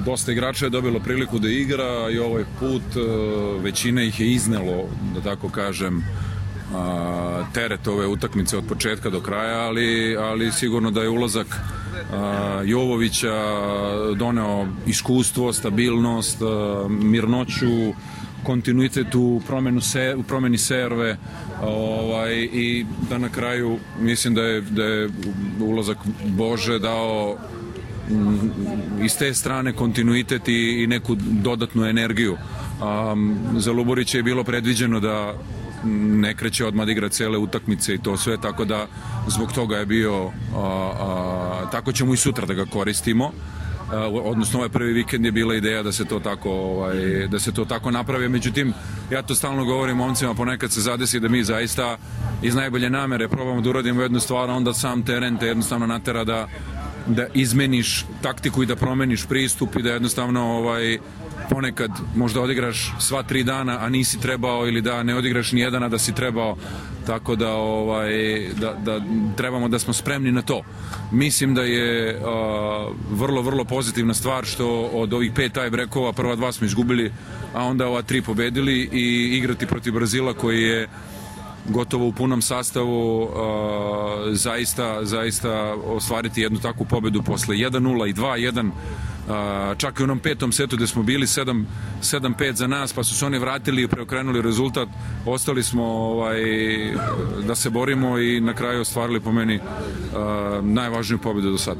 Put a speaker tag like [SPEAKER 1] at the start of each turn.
[SPEAKER 1] dosta igrača je dobilo priliku da igra i ovaj put većina ih je iznelo, da tako kažem, teret ove utakmice od početka do kraja, ali sigurno da je ulazak Jovovića doneo iskustvo, stabilnost, mirnoću, kontinuitet u promeni serve i da na kraju mislim da je ulazak Bože dao iz te strane kontinuitet i neku dodatnu energiju. Za Luburića je bilo predviđeno da ne kreće odmah da igra cele utakmice i to sve, tako da zbog toga je bio tako ćemo i sutra da ga koristimo, odnosno ovaj prvi vikend je bila ideja da se to tako napravi. Međutim, ja to stalno govorim momcima, ponekad se zadesi da mi zaista iz najbolje namere probamo da uradimo jednu stvar, a onda sam teren te jednostavno natera da izmeniš taktiku i da promeniš pristup i da jednostavno ponekad možda odigraš sva 3 dana, a nisi trebao, ili da ne odigraš ni jedan, a da si trebao, tako da trebamo da smo spremni na to. Mislim da je vrlo, vrlo pozitivna stvar što od ovih 5 tie-breakova prva 2 smo izgubili, a onda ova 3 pobedili i igrati protiv Brazila koji je gotovo u punom sastavu, zaista ostvariti jednu takvu pobedu posle 1-0 i 2-1, čak i u onom 5. setu gde smo bili 7-5 za nas, pa su se oni vratili i preokrenuli rezultat, ostali smo da se borimo i na kraju ostvarili po meni najvažniju pobedu do sada.